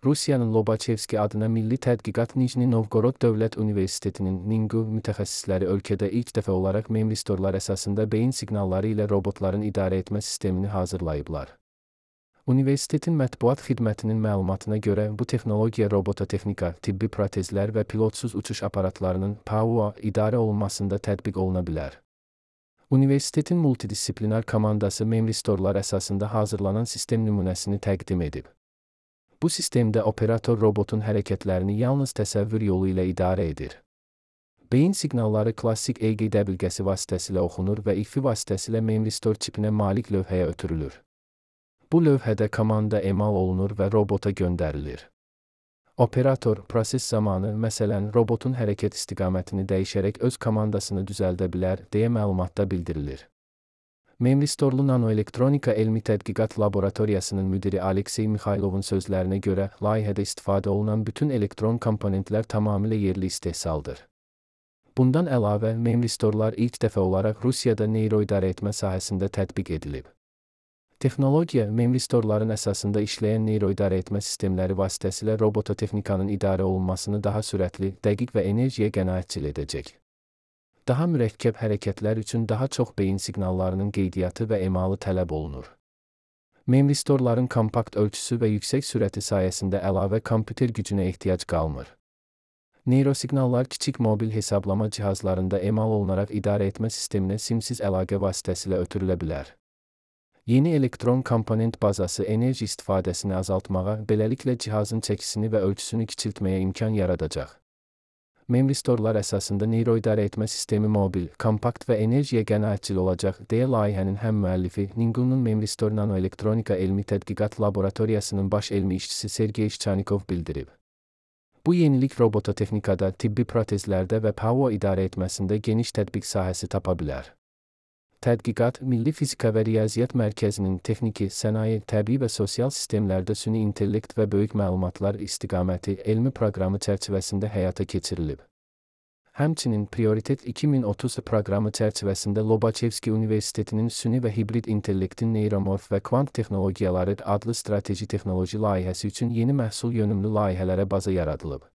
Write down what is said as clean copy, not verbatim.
Rusiyanın Lobachevski adına Milli Tədqiqat Nijni Novgorod Dövlət Universitetinin NINGU mütəxəssisləri ölkədə ilk dəfə olaraq memristorlar əsasında beyin siqnalları ilə robotların idarə etmə sistemini hazırlayıblar. Universitetin mətbuat xidmətinin məlumatına görə bu texnologiya robototexnika, tibbi protezlər və pilotsuz uçuş aparatlarının PAUA idarə olunmasında tətbiq oluna bilər. Universitetin multidisiplinar komandası memristorlar əsasında hazırlanan sistem nümunəsini təqdim edib. Bu sistemdə operator robotun hərəkətlərini yalnız təsəvvür yolu ilə idarə edir. Beyin siqnalları klassik EEG dəbilqəsi vasitəsilə oxunur və İFI vasitəsilə memristor çipinə malik lövhəyə ötürülür. Bu lövhədə komanda emal olunur və robota göndərilir. Operator proses zamanı, məsələn, robotun hərəkət istiqamətini dəyişərək öz komandasını düzəldə bilər, deyə məlumatda bildirilir. Memristorlu Nanoelektronika Elmi Tədqiqat Laboratoriyasının müdiri Aleksey Mixaylovun sözlərinə görə, layihədə istifadə olunan bütün elektron komponentlər tamamilə yerli istehsaldır. Bundan əlavə, memristorlar ilk dəfə olaraq Rusiyada neyroidarə etmə sahəsində tətbiq edilib. Texnologiya, memristorların əsasında işləyən neyroidarə etmə sistemləri vasitəsilə robototexnikanın idarə olunmasını daha sürətli, dəqiq və enerjiyə qənaətcil edəcək. Daha mürəkkəb hərəkətlər üçün daha çox beyin siqnallarının qeydiyyatı və emalı tələb olunur. Memristorların kompakt ölçüsü və yüksək sürəti sayəsində əlavə kompüter gücünə ehtiyac qalmır. Neyrosiqnallar kiçik mobil hesablama cihazlarında emal olunaraq idarə etmə sisteminə simsiz əlaqə vasitəsilə ötürülə bilər. Yeni elektron komponent bazası enerji istifadəsini azaltmağa, beləliklə cihazın çəkisini və ölçüsünü kiçiltməyə imkan yaradacaq. Memristorlar əsasında neyroidarə etmə sistemi mobil, kompakt və enerjiyə qənaətcil olacaq, deyə layihənin həm müəllifi, NINGU-nun Memristor Nanoelektronika Elmi Tədqiqat Laboratoriyasının baş elmi işçisi Sergey Şçanikov bildirib. Bu yenilik robototexnikada, tibbi protezlərdə və PAUA idarə etməsində geniş tətbiq sahəsi tapa bilər. Tədqiqat, Milli Fizika və Riyaziyyat Mərkəzinin texniki, sənaye, təbii və sosial sistemlərdə süni intellekt və böyük məlumatlar istiqaməti elmi proqramı çərçivəsində həyata keçirilib. Həmçinin Prioritet 2030 proqramı çərçivəsində Lobachevski Universitetinin süni və hibrid intellektin neyromorf və kvant texnologiyaları adlı strateji texnoloji layihəsi üçün yeni məhsul yönümlü layihələrə baza yaradılıb.